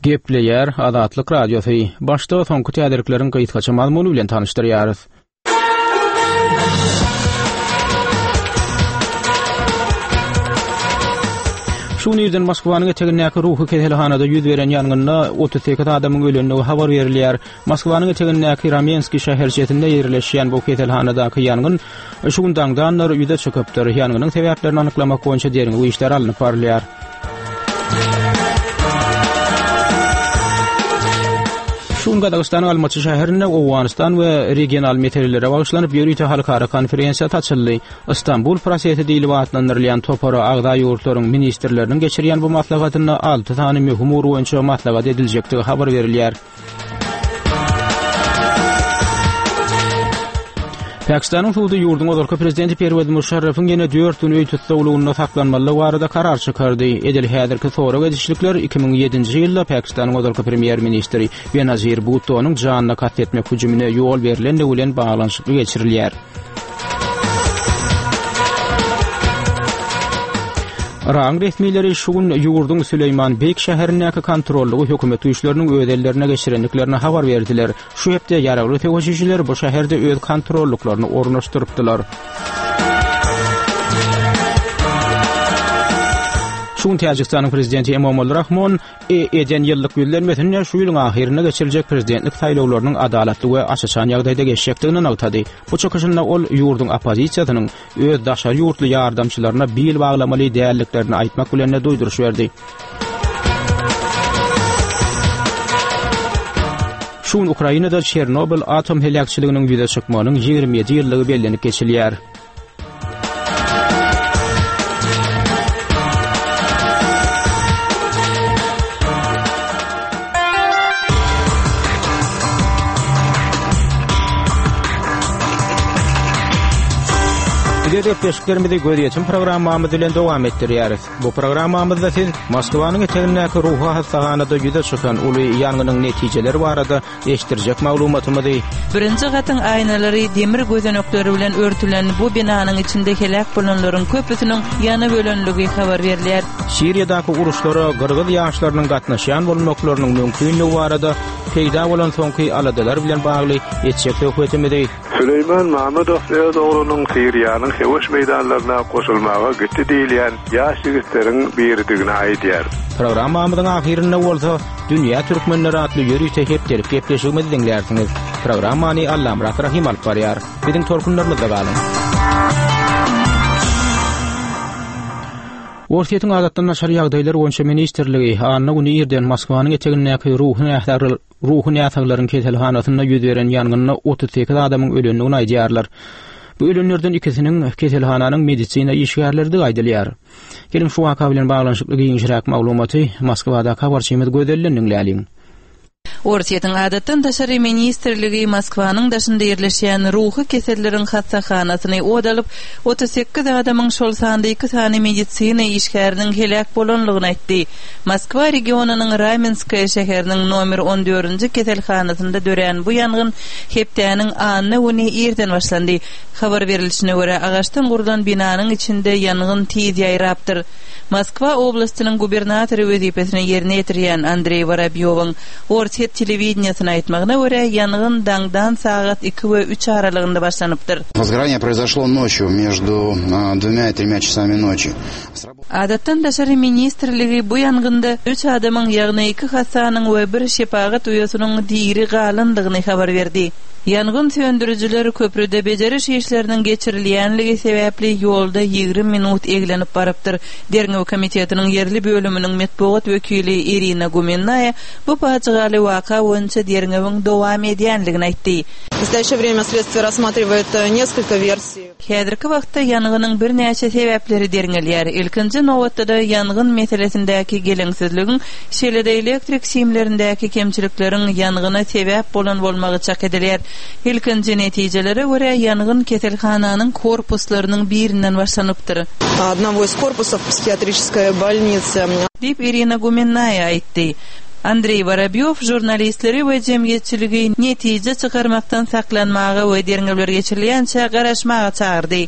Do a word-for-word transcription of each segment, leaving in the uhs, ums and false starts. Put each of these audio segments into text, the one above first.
Gepleýär Azatlyk Radiosy. Başda soňky täzelikleriň gysgaça mazmuny bilen tanyşdyrýarys. Şu gün irden Moskwanyň etegindäki ruhy keselhanada ýüz beren ýangynda otuz sekiz adamyň ölendigi habar berilýär. Moskwanyň etegindäki Ramenskiý şäherçesinde ýerleşýän bu keselhanadaky ýangyn şu gün daňdanlar ýüze çykypdyr. Ýangynyň sebäplerini anyklamak boýunça derňew işleri alnyp barylýar. Şu gün Gazagystanyň Almaty şäherinde Owganystan we regional meselelere bagyşlanyp ýörite halkara konferensiýasy açyldy. Istanbul prosesi diýlip atlandyrylýan topara agza ýurtlaryň ministrleriniň geçirýän bu maslahatynda alty sany möhüm ugur boýunça maslahat ediljekdigi habar berilýär. Pakistanyň sudy ýurduň ozalky prezidenti Perwez Muşarrafyň ýene dört gün öý tussaglygynda saklanmalydygy barada karar çykardy. Edil häzirki sorag edişlikler iki müň ýedinji ýylda Pakistanyň ozalky premýer-ministri Benazir Bhuttonyň janyna kast etmek hüjümine ýol berlendigi bilen baglanyşykly geçirilýär. Yragyň resmileri şu gün ýurduň Süleýman Beýik şäherindäki kontrollygy hökümet güýçleriniň öz ellerine geçirendiklerini habar berdiler. Şu hepde ýaragly söweşijiler bu şäherde öz kontrollyklaryny ornaşdyrypdylar. Şu gün Täjigistanyň prezidenti Emomali Rahmon eden ýyllyk ýüzlenmesinde şu ýylyň ahyrynda geçiriljek prezidentlik saýlawlarynyň adalatly we aç-açan ýagdaýda geçjekdigini nygtady. Bu çykyşynda ol ýurduň oppozisiýasynyň öz daşary ýurtly ýardamçylaryna bil baglamaly däldiklerini aýtmak bilen-de duýduryş berdi. Şu gün Ukrainada Çernobyl atom heläkçiliginiň ýüze çykmagynyň ýigrimi ýedi ýyllygy bellenip geçilýär. Biz gepleşiklerimizi gözýetim programmamyz bilen dowam etdirýäris. Bu programmamyzda siz Moskwanyň etegindäki ruhy hassahanada ýüze çykan uly ýangynyň netijeleri barada eşitdirjek maglumatymyzy Birinji gatyň aýnalary demir gözenekleri bilen örtülen bu binanyň içinde heläk bolanlaryň köpüsiniň ýanyp ölenligi habar berilýär. Siriýadaky uruşlara gyrgyz ýaşlarynyň gatnaşýan bolmaklarynyň mümkinligi barada peýda bolan soňky aladalar bilen bagly etjek söhbetimizi Süleýman Mamedow öz oglunyň Siriýanyň söweş meýdanlaryna goşulmaga gitdi diýilýän ýaş ýigitleriň biridigini aýdýar. Programmamyzyň ahyrynda bolsa Dünýä Türkmenleri atly ýörite hepdelik gepleşigimizi diňlärsiňiz. Programmany Allamyrat Rahym alyp barýar. Biziň tolkunlarymyzda galyň. Orsýetiň adatdan daşary ýagdaýlar boýunça ministrligi anna güni irden Moskwanyň etegindäki ruhy näsaglar, ruhy näsaglaryň keselhanasynda ýüz beren ýangynda otuz sekiz adamyň ölendigini aýdýarlar. Bu ölenlerden ikisiniň keselhananyň medisina işgärleridigi aýdylýar. Geliň şu waka bilen baglanyşykly giňişräk maglumaty Moskwadaky habarçymyz Gözelden diňläliň. Orsýetiň adatdan daşary ministrligi Moskwanyň daşynda ýerleşýän ruhy keselleriň hassahanasyny od alyp, otuz sekiz adamyň, şol sanda iki sany medisina işgäriniň heläk bolanlygyny aýtdy. Moskwa regionynyň Ramenskoýe şäheriniň nomer on dördünji keselhanasynda dörän bu ýangyn hepdäniň anna güni irden başlandy. Habar berilişine görä, agaçdan gurlan binanyň içinde ýangyn tiz ýaýrapdyr. Moskwa oblastynyň gubernatory wezipesini ýerine ýetirýän Andreý Worobýowyň Orsýet telewideniýesine aýtmagyna görä, ýangyn daňdan sagat iki we üç aralygynda başlanypdyr. Возгорание произошло ночью между, а, двумя и тремя часами ночи. Adatdan daşary ministrligi bu ýangynda üç adamyň, ýagny iki hassanyň we bir şepagat uýasynyň diri galandygyny habar berdi. Ýangyn söndürijiler köprüde bejeriş işleriniň geçirilýänligi sebäpli ýolda ýigrimi minut eglenip barypdyr. Derňew komitetiniň ýerli bölüminiň metbugat wekili Irina Gumennaýa bu pajygaly waka boýunça derňewiň dowam edýänligini aýtdy. В настоящее время следствие рассматривает несколько версий. Häzirki wagtda ýangynyň birnäçe sebäpleri derňelýär. Ilkinji nobatda-da ýangyn meselesindäki geleňsizligiň, şeýle-de elektrik simlerindäki kemçilikleriň ýangyna sebäp bolan bolmagy çak edilýär. Ilkinji netijelere görä ýangyn keselhananyň korpuslarynyň birinden başlanypdyr. Одного из корпусов психиатрической больницы. Diýip Irina Gumennaýa aýtdy. Andreý Worobýow žurnalistleri we jemgyýetçiligi netije çykarmakdan saklanmaga we derňewler geçirilýänçä garaşmaga çagyrdy.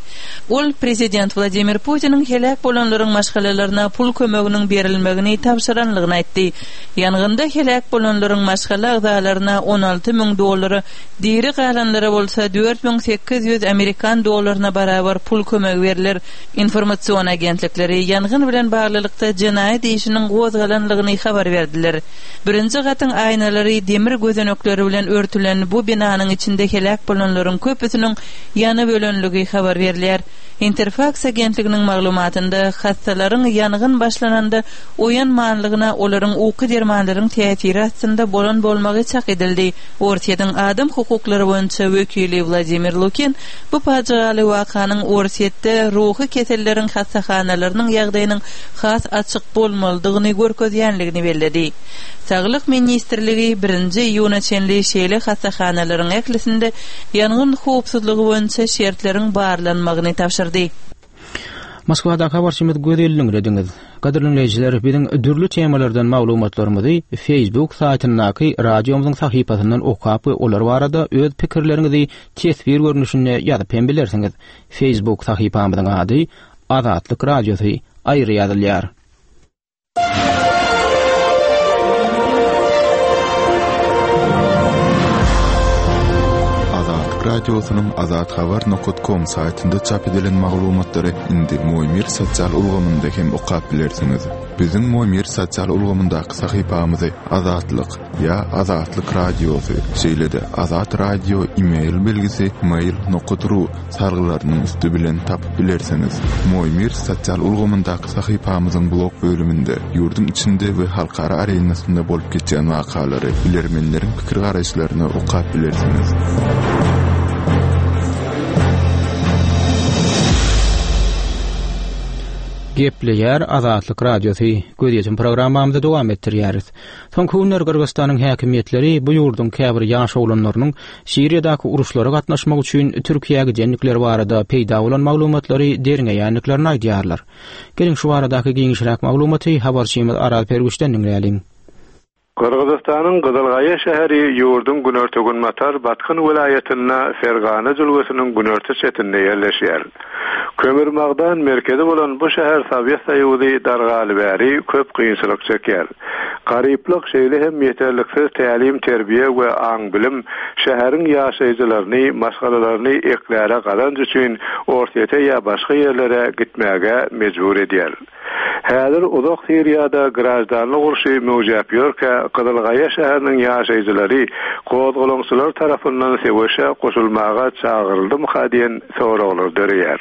Ol prezident Wladimir Putiniň heläk bolanlaryň maşgalalaryna pul kömeginiň berilmegini tabşyranlygyny aýtdy. Ýangynda heläk bolanlaryň maşgala agzalaryna on alty müň dollara, diri galanlara bolsa dört müň sekiz ýüz amerikan dollaryna barabar pul kömegi berler. Informasion agentlikleri ýangyn bilen baglylykda jenaýat işiniň gozgalanlygyny habar berdiler. Birinji gatyň aýnalary demir gözenekleri bilen örtülen bu binanyň içinde heläk bolanlaryň köpüsiniň ýanyp ölenligi habar berilýär. Interfaks agentliginiň maglumatynda hassalaryň ýangyn başlananda oýanmanlygyna olaryň uky dermanlaryň täsiri astynda bolan bolmagy çak edildi. Orsýetiň adam hukuklary boýunça wekili Wladimir Lukin bu pajygaly wakanyň Orsýetde ruhy keselleriň hassahanalarynyň ýagdaýynyň has açyk bolmalydygyny görkezýänligini belledi. Saglyk ministrligi birinji iýuna çenli şeýle hassahanalaryň ählisinde ýangyn howpsuzlygy boýunça şertleriň barlanmagyny tabşyrdy. Moskwadaky habarçymyz Gözelliň rediňiz. Gadyrly dinleýjiler, biziň dürli temalardan maglumatlarymyzy Facebook saýtyndaky radiomyzyň sahypasyndan okap we olar barada öz pikirleriňizi teswir görnüşinde ýazyp hem bilersiňiz. Facebook sahypamyzyň ady Azatlyk Radiosy aýry ýazylýar. Azatlyk Radiosynyň azathabar nokta com saýtynda çap edilen maglumatlary indi Moýmir sosial ulgamynda hem okap bilersiňiz. Biziň Moýmir sosial ulgamyndaky sahypamyzy Azatlyk ýa Azatlyk Radiosy, şeýle-de Azat Radio e-mail belgisi mail nokta ru sargylarynyň üsti bilen tapyp bilersiňiz. Moýmir sosial ulgamyndaky sahypamyzyň blog bölüminde ýurduň içinde we halkara arenasynda bolup geçýän wakalary, bilermenleriň pikir garaýyşlaryny okap bilersiňiz. Gepleýär Azatlyk Radiosy. Gözýetim programmamyzy dowam etdirýäris. Soňky günler Gyrgyzystanyň häkimiýetleri bu ýurduň käbir ýaş oglanlarynyň Siriýadaky uruşlara gatnaşmak üçin Türkiýä gidendikleri barada peýda bolan maglumatlary derňeýändiklerini aýdýarlar. Geliň şu baradaky giňişräk maglumaty habarçymyz Aral Pergüşden diňläliň. Gyrgyzystanyň Gyzylgaýa şäheri ýurduň günorta-günbatar Batkan welaýatynda Fergana jülgesiniň günorta çetinde ýerleşýär. Kömür magdan merkezi bolan bu şäher Sowet Soýuzy dargaly bäri köp kynçylyk çekýär. Garyplyk şeýle hem ýeterliksiz tälim, terbiýe we aň-bilim şäheriň ýaşaýjylaryny, maşgalalaryny ekläre gazanç üçin Orsýete ýa başga ýerlere gitmäge mejbur edýär. Häzir uzak Siriýada grajdanlyk urşy möwjäp ýörkä, Gyzylgaýa şäheriniň ýaşaýjylary gozgalaňçylar tarapyndan söweşe goşulmaga çagyryldymyka diýen soraglar döreýär.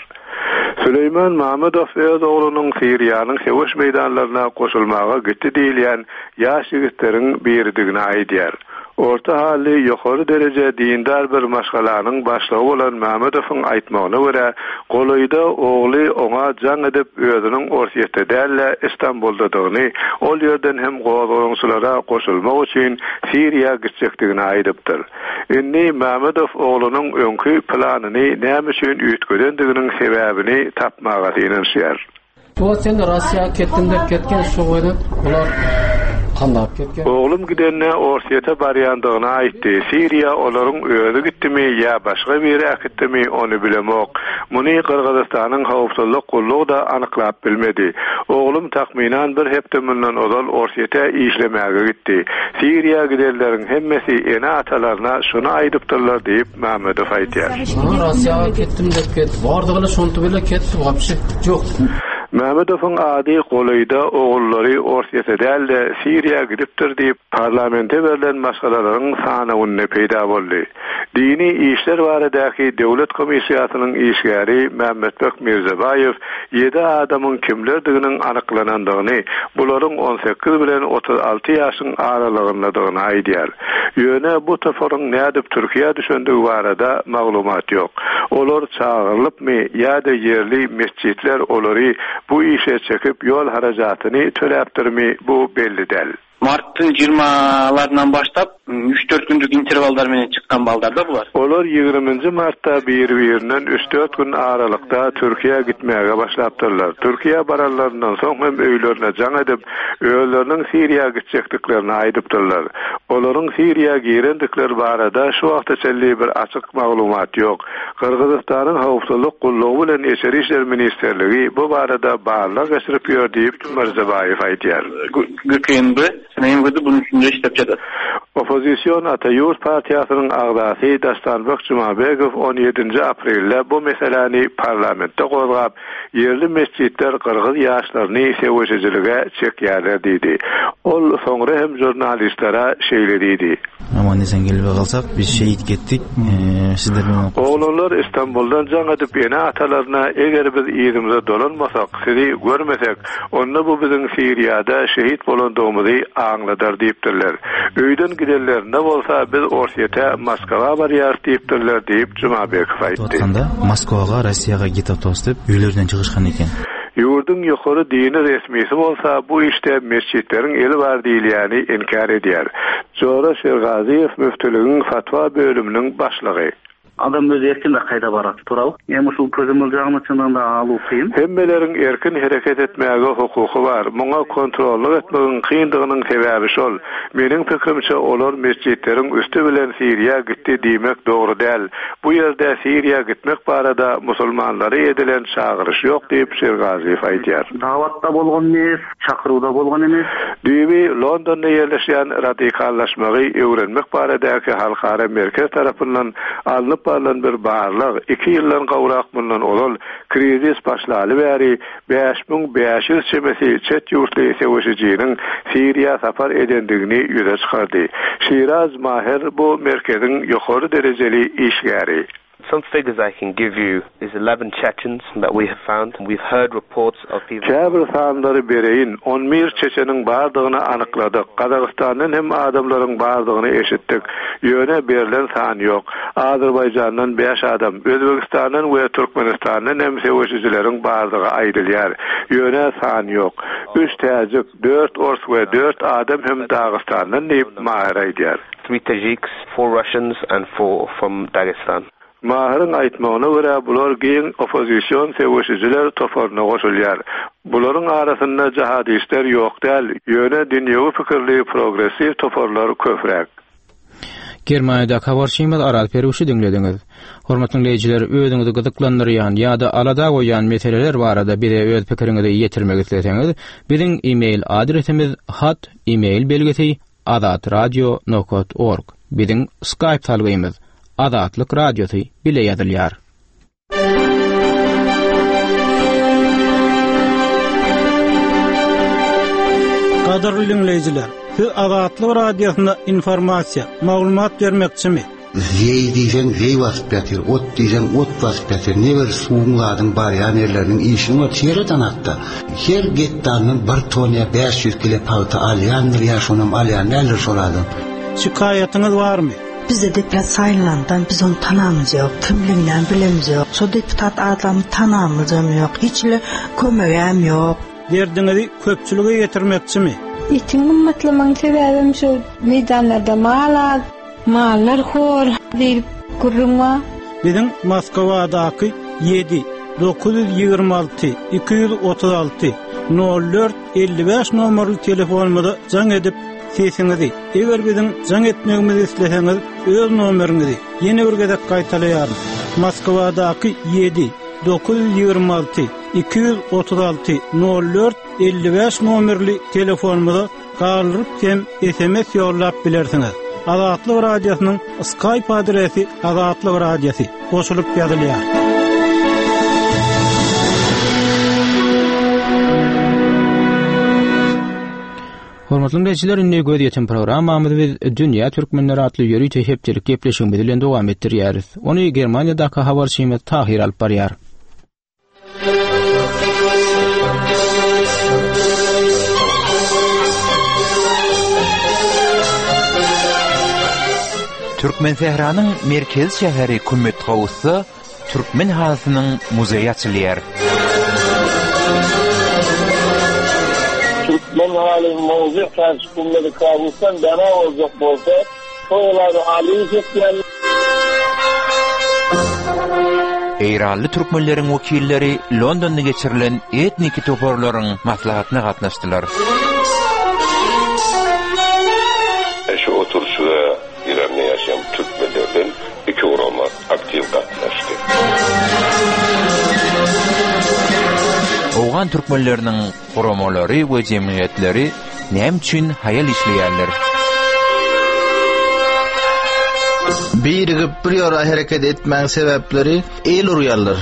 Süleýman Mamedow öz oglunyň Siriýanyň söweş meýdanlaryna goşulmaga gitdi diýilýän ýaş ýigitleriň biridigini aýdýar. Orta hally ýokary dereje dindar bir maşgalanyň başlygy bolan Mamedowyň aýtmagyna görä, golaýda ogly oňa jaň edip özüniň Orsýetde däl-de Istanbuldadygyny, ol ýerden hem gozgalaňçylara goşulmak üçin Siriýa gitjekdigini aýdypdyr. Indi Mamedow oglunyň öňki planyny näme üçin üýtgedendiginiň sebäbini tapmaga synanyşýar. Bu sen Russiýa ketdim dep ketken şu goýdan bular kandap ketken. Oglum gidende Orsýete barýandygyny aýtdy. Siriýa olaryň özi gitdimi ýa başga biri äkitdimi ony bilemok. Muny Gyrgyzystanyň howpsuzlyk gullugy da anyklap bilmedi. Oglum takmynan bir hepde mundan ozal Orsýete işlemäge gitdi. Siriýa gidenleriň hemmesi ene-atalaryna şuny aýdypdyrlar diýip Mamedow aýdýar. Russiýa ketdim dep ket. Bardygyny şonty bile ketdi wapşe. Ýok. Mamedowyň ady golaýda ogullary Orsýete däl-de Siriýa gidipdir diýip parlamente berlen maşgalalaryň sanawynda peýda boldy. Dini işler baradaky döwlet komissiýasynyň işgäri Mehmetbek Mirzabaýew ýedi adamyň kimlerdiginiň anyklanandygyny, bularyň on sekiz bilen otuz alty ýaşyň aralygyndadygyny aýdýar. Ýöne bu toparyň nädip Türkiýä düşendigi barada maglumat ýok. Olar çagyrylypmy ýa-da ýerli mesjitler olary bu işe çekip ýol harajatyny töläpdirmi bu belli däl. Mart'ın ýigirmalaryndan başlap Үч-төрт күндүк интервалдар менен чыккан балдар да булар. Olar ýigriminji martda bir-birinden üç-dört gün aralykda Türkiýä gitmäge başlapdyrlar. Türkiýä baranlaryndan soň hem öýlerine jaň edip, özleriniň Siriýa gitjekdiklerini aýdypdyrlar. Olaryň Siriýa girendikleri barada şu wagta çenli bir açyk maglumat ýok. Gyrgyzystanyň howpsuzlyk gullugy bilen Içeri işler ministrligi bu barada barlag geçirip ýör diýip Mirzabaýew aýdýar. GKNB MVD bunun üstünde işlep çadat. Oppozision Ata-Ýurt partiýasynyň agzasy Dastanbek Jumabegow on ýedinji aprelde bu meseläni parlamentde gozgap, ýerli mesjitler gyrgyz ýaşlaryny söweşijilige çekýärler diýdi. Ol soňra hem žurnalistlere şeýle diýdi. Aman esen gelip kalsak biz şehit gittik. Ee, sizler bilen Oglanlar Istanbuldan jaň edip ene atalaryna eger biz yzymyza dolanmasak, sizi görmesek, onda bu biziň Siriýada şehit bolandygymyzy aňladar diýipdirler. Öýden gidenlerinde bolsa biz Orsýete Moskwa barýarys diýipdirler diýip Jumabekow aýtdy. Aýtganda Moskwaga, Rossiýaga gitip dostup, öýlerden çykyşgan eken. Ýurduň ýokary dini resmisi bolsa bu işde mesjitleriň eli bar diýilýäni inkär edýär. Jora Şergaziýew müftüligiň fatwa bölüminiň başlygy. Adam öz erkin kaýda barat туурабы? Эми ушул көзөмөл жагын чындыгында алуу кыйын. Hemmeleriň erkin hereket etmäge hukuky bar. Muňa kontrollyk etmegiň kyndygynyň sebäbi şol. Meniň pikirimçe olar mesjitleriň üstü bilen Siriýa gitdi diýmek dogry däl. Bu ýerde Siriýa gitmek barada musulmanlary edilen çagyryş ýok diýip Şergaziýew aýdýar. Dawatda bolgan emes, çakyruwda bolgan emes. Düýbi Londonda ýerleşýän radikallaşmagy öwrenmek baradaky halkara merkez tarapyndan alnyp barlan bir barlyk iki ýyldan gowrak mundan ozal krizis başlaly bäri bäş müň bäş ýüz çemesi çet ýurtly söweşijiniň Siriýa sapar edendigini ýüze çykardy. Şiraz Maher bu merkeziň ýokary derejeli işgäri. Some figures I can give you is eleven Chechens that we have found. We've heard reports of people... Käbir sanlary bereýin, on bir Çeçeniň bardygyny anykladyk. Gazagystandan hem adamlaryň bardygyny eşitdik. Ýöne berlen san ýok. Azerbaýjandan bäş adam, Özbegistandan we Türkmenistandan hem söweşijileriň bardygy aýdylýar. Ýöne san ýok. Üç täjik, dört ors we dört adam hem Dagystandan diýip Mahir aýdýar. Three Tajiks, four Russians and four from Dagestan. Mahiriň aýtmagyna görä bular giň oppozision söweşijiler toparyna goşulýar. Bularyň arasynda jihadistler ýok däl, ýöne dünýewi pikirli progressiw toparlar köpräk. Germaniýada habarçymyz Aral Peruşy diňlediňiz. Hormatly dinleýjiler, özüňizi gyzyklandyrýan ýa-da alada goýýan meseleler barada bize öz pikiriňizi ýetirmek isleseňiz, biziň e-mail adresimiz hat e-mail belgisi azatradio nokta org. Biziň Skype salgymyz Azatlyk Radiosy bile ýazylýar. Gadyrly dinleýjiler, siz Azatlyk Radiosyna informasiýa, maglumat bermekçimi? Zeý diýseň zeý basyp ýatyr, ot diýseň ot basyp ýatyr. Ne bir suwuň zadyň barýan ýerleriniň işini ot ýerden atda. Her gektardan bir ton ýa bäş ýüz kilo pagta alýandyr ýa şonam alýan däldir şol adam. Şikaýatyňyz barmy? Bize deputat saylandan biz onu tanamız yok, kimliğinden bilemiz yok. Şo deputat adamı tanamız yok, hiç le kömegem yok. Derdiňizi köpçülige ýetirmekçimi? Etiň gymmatlamanyň sebäbim şu meýdanlarda mal az, mallar hor diýip gürrüň bar. Biziň Moskwadaky ýedi dokuz ýüz ýigrimi alty iki ýüz otuz alty nol dört elli bäş nomerli telefonumyza jaň edip sesiňizi, eger biziň jaň etmegimizi isleseňiz, öz nomeriňizi ýene bir gezek gaýtalaýaryn. Moskwadaky ýedi dokuz ýüz ýigrimi alty iki ýüz otuz alty nol dört elli bäş nomerli telefonumyza galdyryp hem S M S ýollap bilersiňiz. Azatlyk Radiosynyň Skype adresi Azatlyk Radiosy goşulyp ýazylýar. Hormatly dinleýjiler, indi göz ýetim programmamyzy biz Dünýä Türkmenleri atly ýörite hepdelik gepleşigimiz bilen dowam etdirýäris. Ony Germaniýadaky habarçymyz Tahir alyp barýar. Türkmen Sähranyň merkez şäheri Kümmetgawusda Türkmen halysynyň muzeýi açylýar. Türkmen haly mowzu karşı Kümmetgawusdan dana olacak bolsa. Tolady Alyýew etýär. Eýranly türkmenleriň wekilleri Londonda geçirilen etniki toparlaryň maslahatyna gatnaşdylar. Şu oturyşyga Eýranda ýaşaýan türkmenlerden iki gurama aktiw gatnaşdy. Owgan türkmenleriniň guramalary we jemgyýetleri näme üçin haýal işleýärler? Birigip bir ýora hereket etmäň sebäpleri el urýarlar.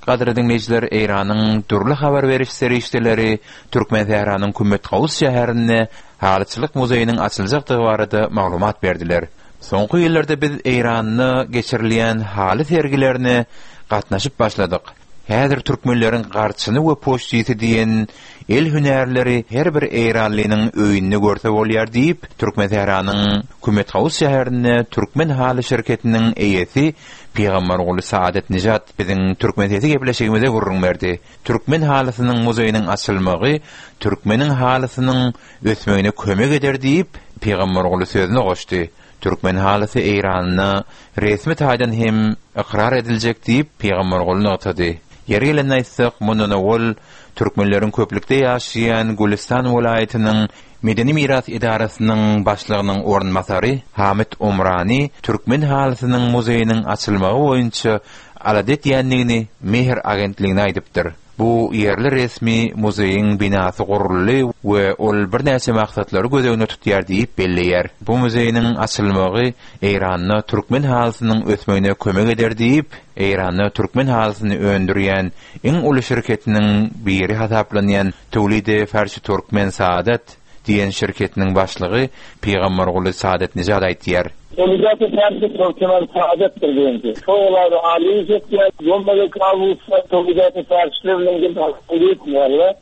Gadyrly diňleýjiler, Eýranyň dürli habar beriş serişdeleri Türkmensähranyň Kümmetgawus şäherinde Halyçylyk muzeýiniň açyljakdygy barada maglumat berdiler. Soňky ýyllarda biz Eýranda geçirilýän haly sergilerine gatnaşyp başladyk. Häzir türkmenleriň garçyny we poçtisy diýen el hünärleri her bir eýranlynyň öýünde görse bolýar diýip, Türkmensähranyň Kümetgawus şäherinde Türkmen haly şirketiniň eýesi Pygamberguly Saadatnejad biziň Türkmen sesi gepleşigimize gürrüň berdi. Türkmen halysynyň muzeýiniň açylmagy türkmeniň halysynyň ösmegine kömek eder diýip, Pygamberguly sözüne goşdy. Türkmen halysy Eýranda resmi taýdan hem ykrar ediljek diýip, Pygamberguly nygtady. Ýeri gelende aýtsak, mundan owal türkmenleriň köplükde ýaşaýan Gülüstan welaýatynyň Medeni miras edarasynyň başlygynyň orunbasary Hamid Omrani türkmen halysynyň muzeýiniň açylmagy boýunça alada edýändigini Mehr agentligine aýdypdyr. Bu ýerli resmi muzeýiň binasy guruldy we ol birnäçe maksatlary göz öňünde tutýar diýip belleýär. Bu muzeýiniň açylmagy Eýranda türkmen halysynyň ösmegine kömek eder diýip, Eýranda türkmen halysyny öndürýän iň uly şirketiniň biri hasaplanýan Tewlide Farşi Türkmen Saadat diýen şirketiniň başlygy Pygamberguly Saadatnejad aýtýar. Tewlide Farşi Türkmen Saadatdyr diýdi. Tolady Alyýew etýär. Bolmaly Kawusda Tewlide Farşi bilen gitmeýärler.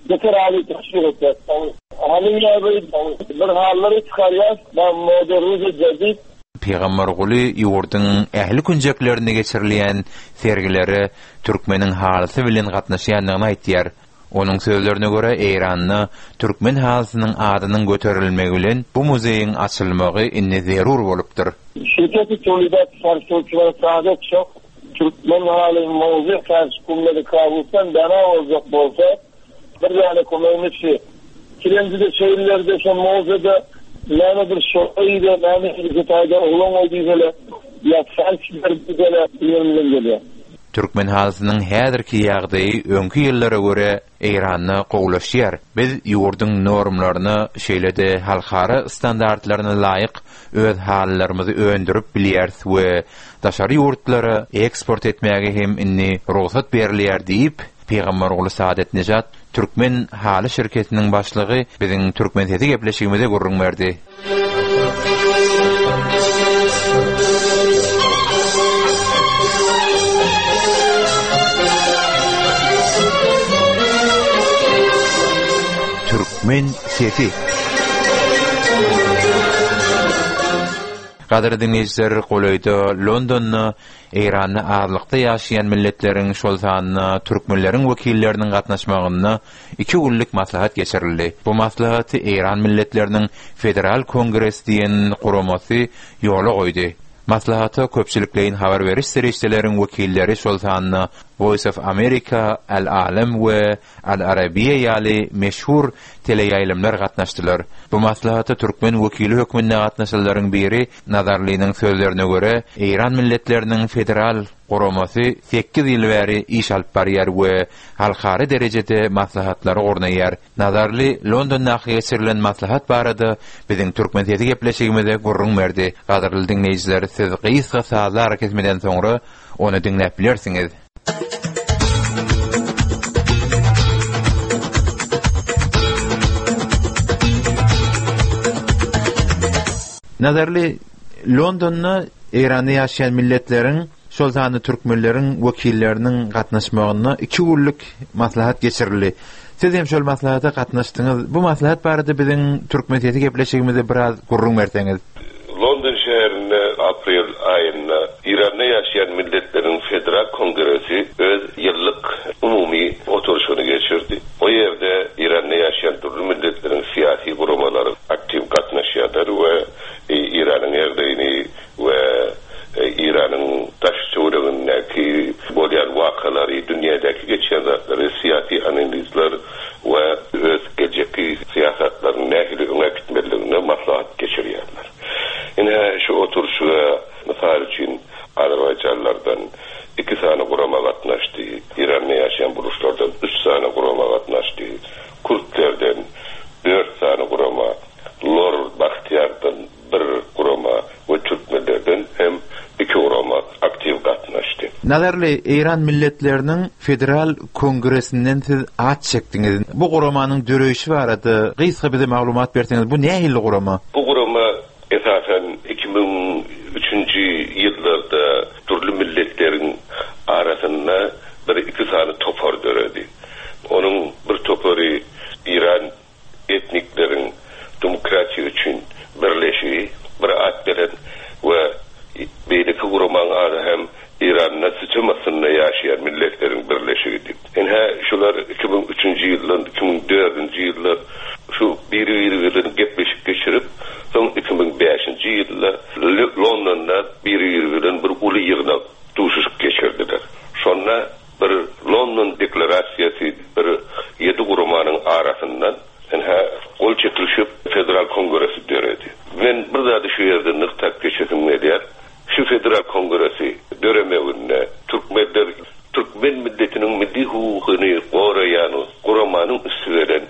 Beter Ali teşvik etýär. Haly bir hallary çykarýar. Ben modernize jadid Pygamberguly ýurduň ähli künjeklerinde geçirilýän sergilere türkmeniň halysy bilen gatnaşýandygyny aýtýar. Onuň sözlerine görä Eýranda türkmen halysynyň adynyň göterilmegi bilen bu muzeýiň açylmagy indi zerur bolupdyr. Şirketi Tewlidat Farşi Türkmen Saadat çok Türkmen haly mowzu Farşi Kummeli Kawusdan bana olacak bolsa bir yani komünisi Kirencide şehirlerde şu mowzuda näme bir şoýda näme bir taýda oglan boldy ýa farşlar diýseler ýerinden gelýär. Türkmen halysynyň häzirki ýagdaýy öňki ýyllara görä Eýranda gowulaşýar. Biz ýurduň normlaryna, şeýle-de halkara standartlaryna laýyk öz halylarymyzy öndürip bilýäris we daşary ýurtlara eksport etmäge hem indi rugsat berilýär diýip, Pygamberguly Saadatnejad Türkmen haly şirketiniň başlygy biziň Türkmen sesi gepleşigimize gürrüň berdi. Türkmen sesi. Gadyrly diňleýjiler, golaýda Londonda Eýranda azlykda ýaşaýan milletleriň, şol sanda türkmenleriň wekilleriniň gatnaşmagynda iki günlük maslahat geçirildi. Bu maslahaty Eýran milletleriniň Federal Kongresi diýen guramasy ýola goýdy. Maslahata köpçülikleýin habar beriş serişdeleriň wekilleri, şol sanda Voice of America, Al Alem we Al Arabiýa ýaly meşhur teleýaýlymlar gatnaşdylar. Bu maslahata türkmen wekili hökmünde gatnaşanlaryň biri Nazarlynyň sözlerine görä, Eýran milletleriniň federal guramasy sekiz ýyl bäri iş alyp barýar we halkara derejede maslahatlary gurnaýar. Nazarly Londondaky geçirilen maslahat barada biziň Türkmen sesi gepleşigimize gürrüň berdi. Gadyrly diňleýjiler, siz gysga sazly arakesmeden soňra ony diňläp bilersiňiz. Nazarly, Londonda Eýranda ýaşaýan milletleriň, şol sanda türkmenleriň wekilleriniň gatnaşmagynda iki günlük maslahat geçirildi. Siz hem şol maslahata gatnaşdyňyz. Bu maslahat barada biziň Türkmen sesi gepleşigimize biraz gürrüň berseňiz. London şäherinde aprel aýynda Eýranda ýaşaýan milletleriň Federal Kongresi öz ýyllyk umumy oturyşyny geçirdi. Dünýädäki geçýän zatlary syýasy analizler we öz geljekki syýasatlaryny nähili öňe äkitmelidigine maslahat geçirýärler. Ine, şu oturyşyga, mysal üçin, azerbaýjanlardan iki sany gurama gatnaşdy, Eýranda ýaşaýan buruşlardan üç sany gurama gatnaşdy, kürtlerden dört sany gurama, lor Bahtiýardan bir gurama we türkmenlerden hem iki gurama aktiw gatnaşdy. Nazarly, Eýran milletleriniň Federal Kongresinden siz at çekdiňiz. Bu guramanyň döreýşi barada gysga bize maglumat berseňiz, bu nähili gurama? Bu gurama esasan iki müň üçünji ýyllarda dürli milletleriň arasynda bir iki sany topar döredi. Onuň bir topary Eýran etnikleriň demokratiýa üçin birleşigi bir at beren we beýleki guramaň ady hem Eýranda sütem astynda ýaşaýan milletleriň birleşigidi. Ine, şular iki müň üçünji ýyldan iki müň dördünji ýyllar şu biri-biri bilen gepleşik geçirip, soň iki müň bäşinji ýylda Londonda biri-biri bilen bir uly ýygnak, duşuşyk geçirdiler. Şonda bir London deklarasiýasy bir ýedi guramanyň arasyndan ine gol çekilişip Federal Kongresi döredi. Men bir zady şu ýerde nygtap geçesim gelýär. Şu Federal Kongresi döremeginde türkmenler türkmen milletiniň milli hukugyny goraýan guramanyň üsti bilen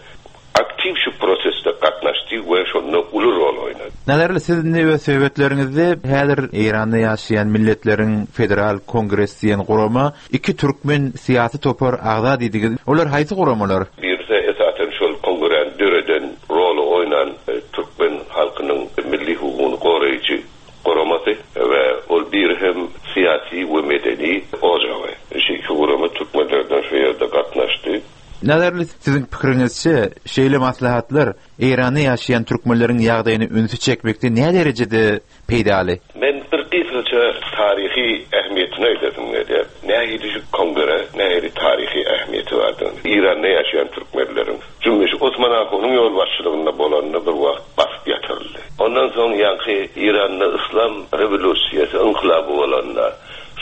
aktiw şu prosesde gatnaşdy we şonda uly rol oýnady. Nazarly, siz indi öz söhbetleriňizde häzir Eýranda ýaşaýan milletleriň Federal Kongresi diýen gurama iki türkmen syýasy topar agza diýdiňiz. Olar haýsy guramalar? Birisi esasan şol kongresini döreden, roly oýnan türkmen halkynyň milli hukugyny goraýjy guramasy we ol biri hem syýasy we medeni ojagy. Şu iki gurama türkmenlerden şu ýerde gatnaşdy. Nazarly, siziň pikiriňizçe şeýle maslahatlar Eýranda ýaşaýan türkmenleriň ýagdaýyny ünsi çekmekde nä derejede peýdaly? Men bir gysgaça taryhy ähmiýetini aýdasym gelýär. Nähili şu kongre, nähili taryhy ähmiýeti bardygyny. Eýranda ýaşaýan türkmenleriň jümmüşi Osman Ahunyň ýolbaşçylygynda bolanda bir wagt basyp ýatyryldy. Ondan soň ýaňky Eýranda Yslam rewolýusiýasy ynkylaby bolanda,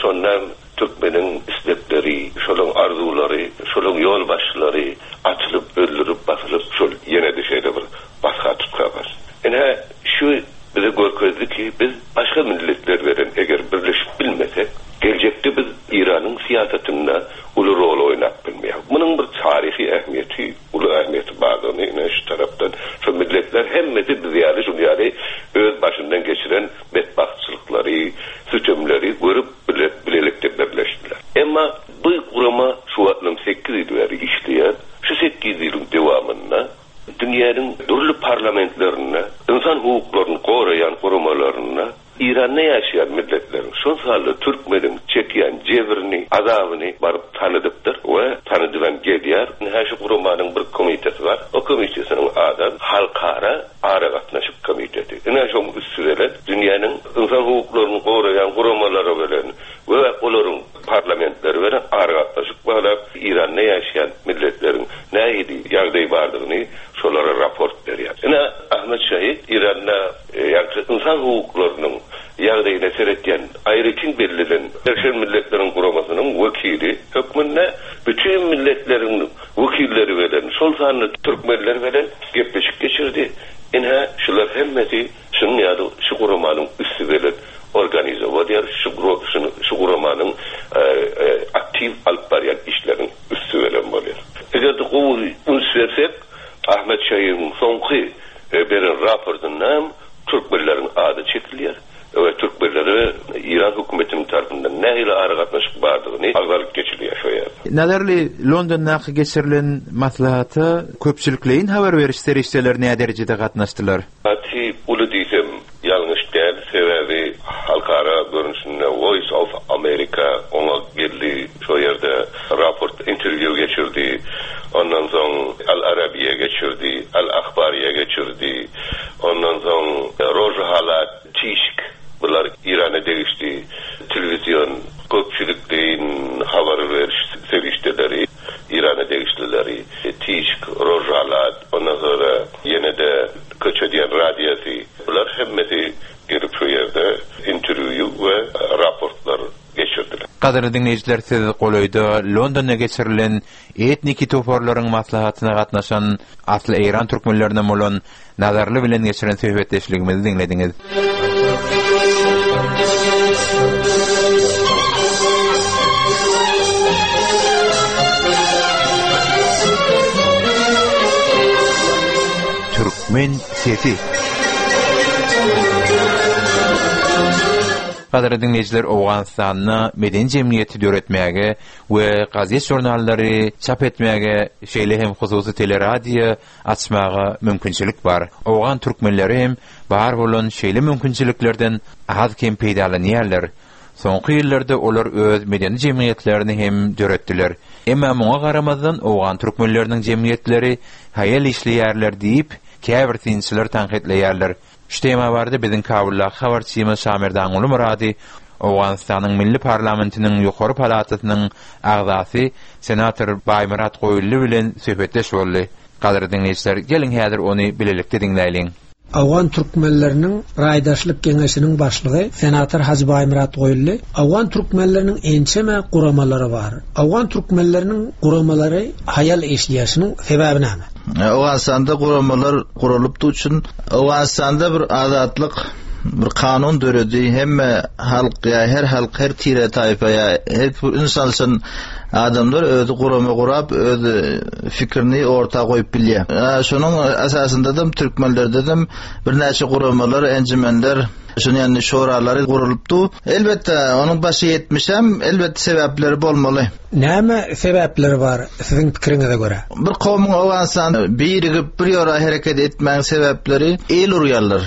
şonda türkmeniň istekleri, şolaryň arzuwlary, şolaryň ýolbaşçylary atylyp, öldürip, basylyp, şol ýene-de şeýle bir basga tutga bar. Ine, şu bize görkezdi ki, biz başga milletler bilen eger birleşip bilmesek, geljekde biz Eýranyň syýasatynda uly rol oýnap bilmeýär. Munuň bir taryhy ähmiýeti, uly ähmiýeti bardygyny ine şu tarapdan şu milletler hemmesi biz ýaly şul ýaly öz başyndan geçiren betbagtçylyklary, sütemleri görüp bile, bilelikde birleşdiler. Emma bu gurama şu wagtlam sekiz ýyl bäri işleýär. Şu sekiz ýylyň dowamynda dünýäniň dürli parlamentlerinde, insan hukuklaryny goraýan guramalarynda Eýranda ýaşaýan milletleriň, şol sanda türkmeniň çekýän jebrini, azabyny baryp tanydypdyr we tanydylan gelýär. Ine şu guramanyň bir komiteti bar. O komitetiniň ady Halkara Aragatnaşyk Komiteti. Ine şoň üsti bilen dünýäniň insan hukuklaryny goraýan guramalary bilen we olaryň parlamentleri bilen aragatnaşyk baglap, Eýranda ýaşaýan milletleriň nähili ýagdaý bardygyny şolara raport berýär. Ine Ahmet Şahid Eýranda ýagny insan hukuklarynyň ýagdaýyna seretýän aýratyn bellenen Birleşen Milletleriň Guramasynyň wekili hökmünde bütün milletleriň wekilleri bilen, şol sanda türkmenler bilen gepleşik geçirdi. Ine şular hemmesi şunuň ýaly şu guramanyň üsti bilen organize bolýar, şu şu guramanyň aktiw alyp barýan işleriniň üsti bilen bolýar. Eger de gowy üns bersek, Ahmet Şahidiň soňky beren raportynda türkmenleriň ady çekilýär we türkmenlere Eýran hökümetiniň tarapyndan nähili aragatnaşyk bardygyny agzalyp geçilýär şu ýerde. Nazarly, Londondaky geçirilen maslahata köpçülikleýin habar beriş serişdeleri nä derejede gatnaşdylar? Gaty uly diýsem ýalňyş däl, sebäbi halkara görnüşinde Voice of America oňa geldi, şu ýerde raport interwýu geçirdi. Ondan soň Al Arabiya geçirdi, Al Akhbariye geçirdi. Ondan soň Rojhalat, Tişk, bular Eýrana degişli telewizyon köpçülikleýin habar beriş serişdeleri, Eýrana degişlileri, Tişk, Rojhalat, ondan sonra ýene de köçe diýen radiosy, bular hemmesi gelip şu ýerde interwýu we raportlar geçirdiler. Gadyrly diňleýjiler, siz golaýda Londonda geçirilen etniki toparlaryň maslahatyna gatnaşan asly eýran türkmenlerinden bolan Nazarly bilen geçiren söhbetdeşligimizi diňlediňiz. Türkmen sesi. Gadyrly diňleýjiler, Owganystanda medeni jemgyýeti döretmäge we gazet-žurnallary çap etmäge, şeýle hem hususy teleradio açmaga mümkinçilik bar. Owgan türkmenleri hem bar bolan şeýle mümkinçiliklerden az-kem peýdalanýarlar. Soňky ýyllarda olar öz medeni jemgyýetlerini hem döretdiler. Emma muňa garamazdan owgan türkmenleriniň jemgyýetleri haýal işleýärler diýip, käbir synçylar tankytlaýarlar. Şu tema barada biziň Kabuldaky habarçymyz Şamerdanguly Myrady Owganystanyň Milli parlamentiniň ýokary palatasynyň agzasy senator Baýmyrat Goýully bilen söhbetdeş boldy. Gadyrly diňleýjiler, geliň häzir ony bilelikde diňläýliň. Owgan türkmenleriniň raýdaşlyk geňeşiniň başlygy senator Hajy Baýmyrat Goýully, Owgan türkmenleriniň ençeme guramalary bar. Owgan türkmenleriniň guramalary haýal işleýşiniň sebäbi näme? Owganystanda guramalar guralypdy üçin Owganystanda bir azatlyk, bir kanun döredi. Hemme halk ýa her halk, her tire taýpa ýa her bir insan adamlar özi gurama gurap, öz fikrini orta goýup bilýär. Şonuň esasynda da türkmenlerde de birnäçe guramalar, enjimenler, şuny ýagny şoralary gurulypdy. Elbetde onuň başy ýetmişem, elbetde sebäpleri bolmaly. Näme sebäpleri bar siziň pikiriňize görä? Bir kowmuň Owganystan birigip bir ýora hereket etmäň sebäpleri el urýarlar.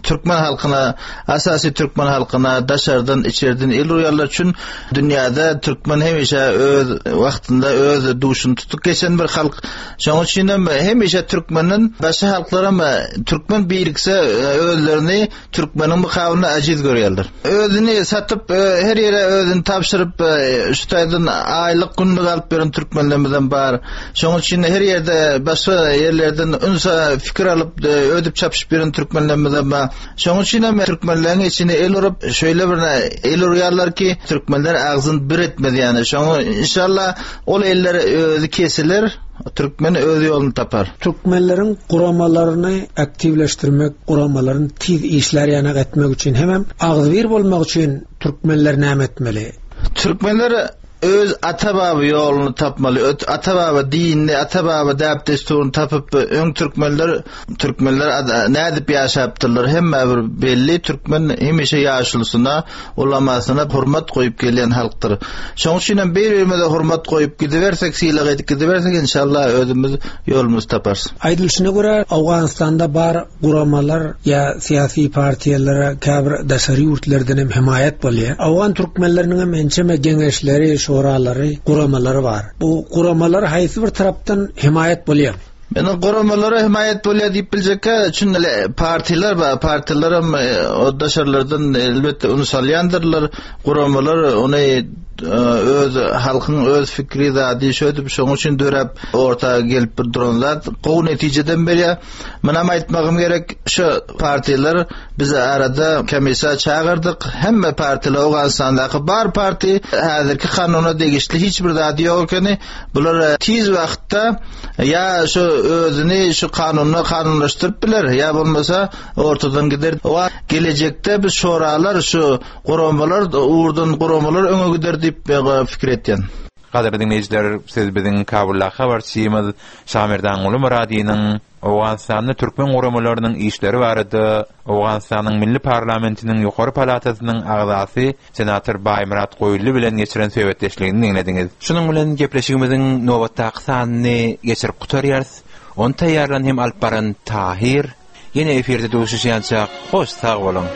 Türkmen halkyna, asasy türkmen halkyna daşardan, içerden el urýarlar üçin dünýäde türkmen hemişe öz wagtynda öz duşuny tutup geçen bir halk. Şonuň üçin hem hemişe türkmeniň başga halklaram türkmen birikse özlerini türkmeniň mukabylyna ajiz görýärler. Özüni satyp her ýere özüni tabşyryp şu taýdan aýlyk günlük alyp beren türkmenlerimizem bar. Şonuň üçin her ýerde başga ýerlerden ünsa fikir alyp ödüp çapyşyp beren türkmenlerimizem bar. Şonuň üçin hem türkmenleriň içine el urup şeýle bir el urýarlar ki türkmenler agzyn bir etmez ýani. Şoňa inşallah ol eller özi kesiler, türkmen öz ýoluny tapar. Türkmenleriň guramalaryny aktiwleşdirmek, guramalaryny tiz işler ýanak etmek üçin hemem agzybir bolmak üçin türkmenler näme etmeli? Türkmenler öz ata-baba ýoluny tapmaly. Ata-baba dinini, ata-baba däp-dessuryny tapyp, öň türkmenler, türkmenler nädip ýaşapdyrlar hemme bir belli. Türkmen hemişe ýaşulusyna, ulamasyna hurmat goýup gelýän halkdyr. Şonuň üçin hem bir-birimize hurmat goýup gidibersek, sylag edip gidibersek, inşallah özümiz ýolumyzy taparys. Aýdylyşyna görä, Owganystanda bar guramalar ýa syýasy partiýalara käbir daşary ýurtlardan hem hemaýat bolýar. Owgan türkmenleriniň hem ençeme geňeşleri, şoralary, guramalary bar. Bu guramalar haýsy bir tarapdan hemaýat bolýar? Meniň guramalara hemaýat bolýar diýip biljekkä, çünki partiýalar bar, partiýalar hem o daşarlardan elbetde üns alýandyrlar. Guramalar ony öz halkyň öz fikri zady şödüp şonuň üçin döräp orta gelip bir duran zat gowy netijeden berýär. Munam aýtmagym gerek, şu partiýalar biz arada komissiýa çagyrdyk. Hemme partiýalar Owganystandaky bar parti häzirki kanuna degişli hiç bir zady ýok ekeni. Bular tiz wagtda ýa şu özüni şu kanuna kanunlaşdyryp biler, ýa bolmasa ortadan gider. O gelejekde biz şoralar şu guramalar, uğurdan guramalar öňe gider diýip fikir etýän. Gadyrly diňleýjiler, siz biziň Kabuldaky habarçymyz Şamerdanguly Myradynyň Owganystanda türkmen guramalarynyň işleri barada Owganystanyň Milli parlamentiniň ýokary palatasynyň agzasy senator Baýmyrat Goýully bilen geçiren söhbetdeşligini diňlediňiz. Şunuň bilen gepleşigimiziň nobatdaky sanyny geçirip gutarýarys. Ony taýýarlan hem alyp baran Tahir. Ýene efirde duşuşýança hoş sag boluň.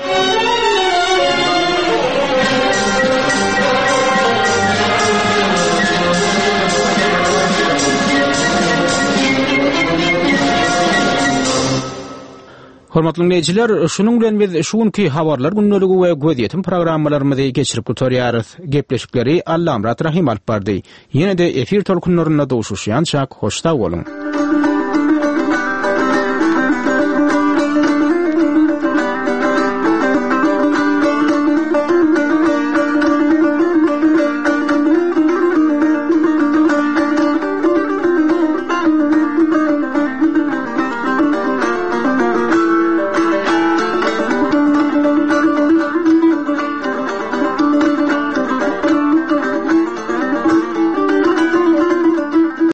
Hormatly dinleýjiler, şunuň bilen biz şu günki habarlar gündeligi we gözýetim programmalarymyzy geçirip gutarýarys. Gepleşikleri Allamyrat Rahim alyp bardy. Ýene-de efir tolkunlarynda duşuşýança hoş sag boluň.